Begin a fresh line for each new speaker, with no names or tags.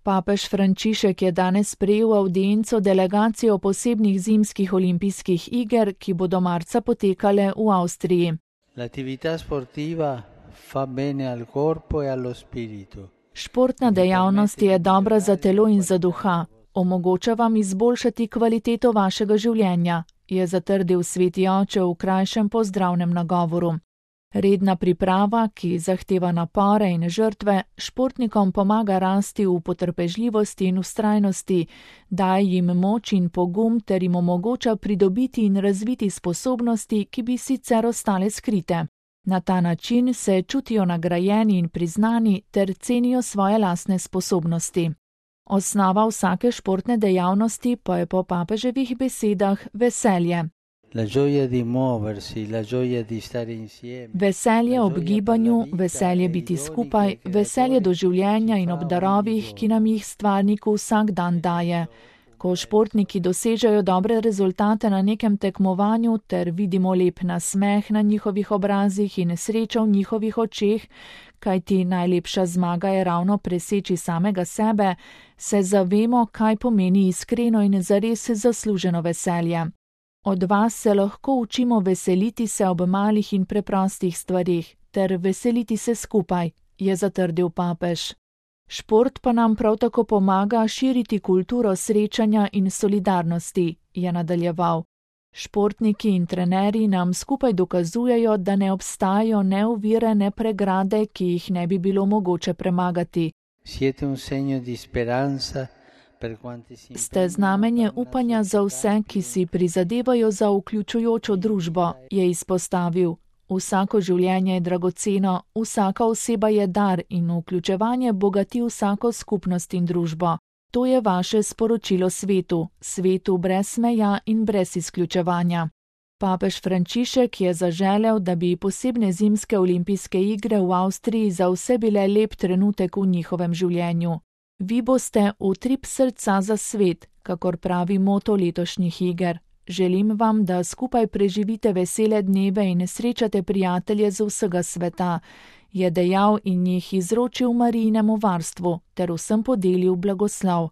Papež Frančišek je danes sprejel avdienco delegacijo posebnih zimskih olimpijskih iger, ki bodo marca potekale v Avstriji.
L'attività sportiva fa bene al corpo e allo spirito.
Športna dejavnost je dobra za telo in za duha. Omogoča vam izboljšati kvaliteto vašega življenja, je zatrdil sveti oče v krajšem pozdravnem nagovoru. Redna priprava, ki zahteva napore in žrtve, športnikom pomaga rasti v potrpežljivosti in vztrajnosti, daje jim moč in pogum ter jim omogoča pridobiti in razviti sposobnosti, ki bi sicer ostale skrite. Na ta način se čutijo nagrajeni in priznani ter cenijo svoje lastne sposobnosti. Osnova vsake športne dejavnosti pa je po papeževih besedah veselje.
La gioia di muoversi, la gioia di stare insieme.
Veselje ob gibanju, veselje biti skupaj, veselje do življenja in ob darovih, ki nam jih stvarnik vsak dan daje. Ko športniki dosežejo dobre rezultate na nekem tekmovanju ter vidimo lep nasmeh na njihovih obrazih in srečo v njihovih očeh, kajti najlepša zmaga je ravno preseči samega sebe, se zavemo, kaj pomeni iskreno in zares zasluženo veselje. Od vas se lahko učimo veseliti se ob malih in preprostih stvarih ter veseliti se skupaj, je zatrdil papež. Šport pa nam prav tako pomaga širiti kulturo srečanja in solidarnosti, je nadaljeval. Športniki in trenerji nam skupaj dokazujejo, da ne obstajajo ne ovire, ne pregrade, ki jih ne bi bilo mogoče premagati.
Siete un segno di speranza.
Ste znamenje upanja za vse, ki si prizadevajo za vključujočo družbo, je izpostavil. Vsako življenje je dragoceno, vsaka oseba je dar in vključevanje bogati vsako skupnost in družbo. To je vaše sporočilo svetu, svetu brez meja in brez izključevanja. Papež Frančišek je zaželel, da bi posebne zimske olimpijske igre v Avstriji za vse bile lep trenutek v njihovem življenju. Vi boste utrip srca za svet, kakor pravi moto letošnjih iger. Želim vam, da skupaj preživite vesele dneve in srečate prijatelje z vsega sveta, je dejal in jih izročil Marijinemu varstvu ter vsem podelil blagoslov.